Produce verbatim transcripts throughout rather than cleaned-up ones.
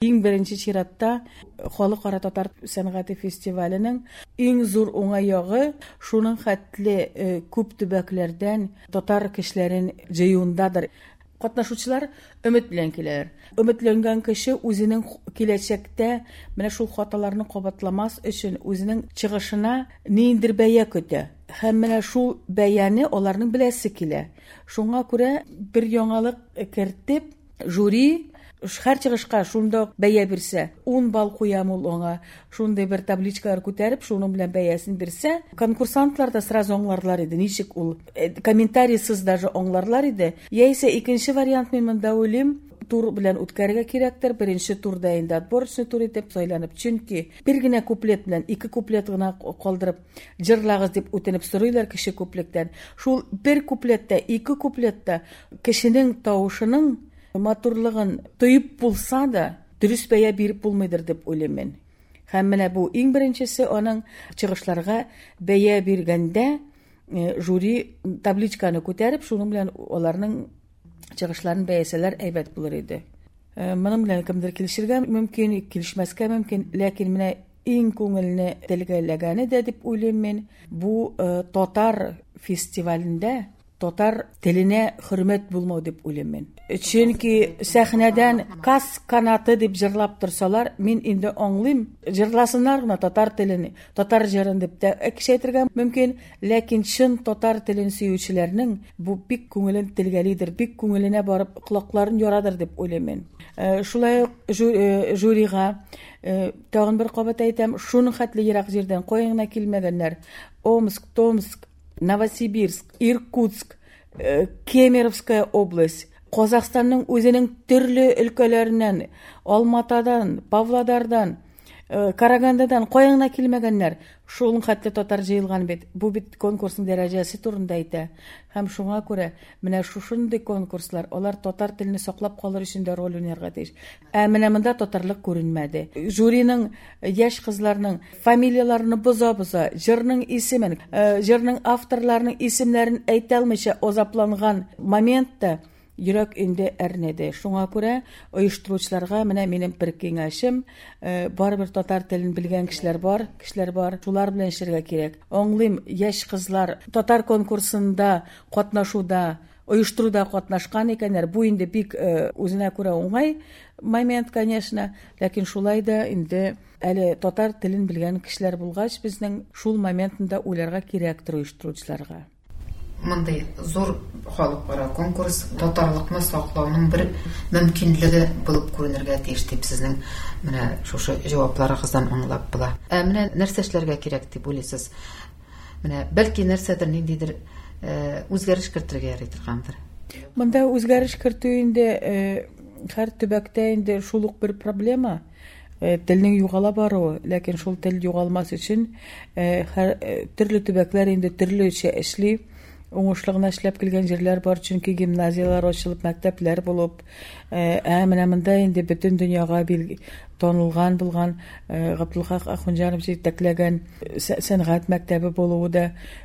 Иң беренче чиратта Халыкара татар сәнгате фестиваленең иң зур уңай ягы шуның хәтле күп төбәкләрдән татар кешеләрен җыюындадыр. Катнашучылар өмет белән киләләр. Өметләнгән кеше үзенең киләчәктә менә шул хаталарны кабатламас өчен үзенең чыгышына ниндидер бәя көтә. Һәм менә шул бәяне аларның беләсе килә. Шуңа күрә бер яңалык кертеп, жюри һәр чыгышка шунда ук бәя бирсә, ун балл куям ул аңа, шундый бер табличкалар күтәреп, шуның белән бәясен бирсә, конкурсантлар да сразу аңларлар иде, ничек ул, комментарийсыз даже аңларлар иде. Яисә икенче вариант мин монда уйлыйм, тур белән үткәрергә кирәктер. Беренче турда инде отборочный тур итеп сайланып, чөнки бер генә куплет белән ике куплет гына калдырып җырлагыз дип үтенеп сорыйлар кеше күплектән. Шул бер куплетта, ике куплетта кешенең тавышының матурлыгын тоеп булса да, дөрес бәя биреп булмыйдыр дип уйлыйм мин. Һәм менә бу иң беренчесе аның чыгышларга бәя биргәндә жюри табличканы күтәреп, шуның белән аларның чыгышларын бәясәләр әйбәт булыр иде. Моның белән кемдер килешергә мөмкин, килешмәскә мөмкин, ләкин менә иң күңелне телгәләгәне дә дип уйлыйм мин, бу татар фестивалендә татар теленә хөрмәт булмау дип уйлыйм мин. Чөнки сәхнәдән кас канаты дип җырлап торсалар, мин инде аңлыйм, җырласыннар гына татар телен, татар җырын дип тә кеше әйтергә мөмкин, ләкин чын татар телен сөючеләрнең бу бик күңелен телгәлидер, бик күңеленә барып колакларын ярадыр дип уйлыйм мин. Шулай ук жюрига тагын бер кабат әйтәм, шуның хәтле ерак җирдән кая гына килмәгәннәр. Омск, Томск, Новосибирск, Иркутск, Кемеровская область, Казахстанның үзенең төрле өлкәләреннән, Алматадан, Павлодардан, Карагандадан кая гына килмәгәннәр. Шул хәтле татар җыелган бит. Бу бит конкурсның дәрәҗәсе турында әйтә. Һәм шуңа күрә менә шушындый конкурслар, алар татар телен саклап калыр өчен дә роль уйнарга тиеш. Ә менә монда татарлык күренмәде. Жюриның яшь кызларның фамилияләрен боза-боза, җырның исемен, җырның авторларының исемнәрен әйтә алмыйча азапланган моментта йөрәк инде әрнеде. Шуңа күрә оештыручыларга менә минем бер киңәшем, барыбер татар телен белгән кешеләр бар, кешеләр бар, шулар белән эшләргә кирәк. Аңлыйм, яшь кызлар татар конкурсында катнашуда, оештыруда катнашкан икәннәр. Бу инде бик үзенә күрә уңай момент, конечно, ләкин шулай да инде әле татар телен белгән кешеләр булгач, безнең шул моментында уйларга кирәктер оештыручыларга. Мондый зур халыкара конкурс татарлыкны саклауның бер мөмкинлеге булып күренергә тиеш дип сезнең менә шушы җавапларыгыздан аңлап була. Ә менә нәрсә эшләргә кирәк дип уйлыйсыз? Менә бәлки нәрсәдер, ниндидер үзгәреш кертергә ярый торгандыр. Монда үзгәреш кертү инде һәр төбәктә инде шул ук бер проблема. Телнең югала баруы, ләкин шул тел югалмас өчен һәр төрле төбәкләр инде төрлечә эшли. Уңышлы гына эшләп килгән җирләр бар, чөнки гимназияләр ачылып, мәктәпләр булып, ә менә монда инде бөтен дөньяга танылган булган Габдулхак Ахунҗанов җитәкләгән сәнгать мәктәбе булуы да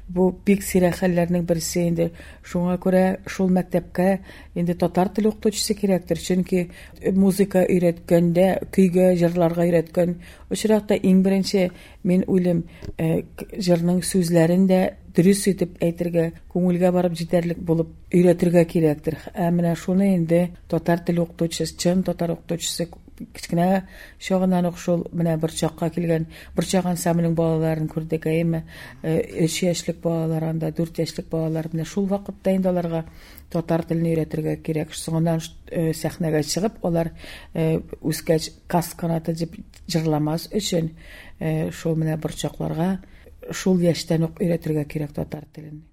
бу бик сирәк хәлләрнең берсе инде. Шуңа күрә шул мәктәпкә инде татар теле укытучысы кирәктер, чөнки музыка өйрәткәндә, көйгә, җырларга өйрәткән очракта иң беренче мин уйлыйм, җырның сүзләрен дә дөрес итеп әйтергә, күңелгә барып җитәрлек булып өйрәтергә кирәктер. Ә менә шуны инде татар теле укытучысы, чын татар укытучысы кечкенә чагыннан ук шул менә Борчакка килгән, Борчак ансамблінің балаларын күрдек, әйеме, өч яшьлек балалар анда, дүрт яшьлек балалар, менә шул вакытта инде аларга татар телен өйрәтергә кирәк. Соңыннан сәхнәгә чыгып, алар үскәч кас канаты дип җырламас өчен шул менә борчакларга шул яшьтән үк өйрәтергә кирәк татар телен.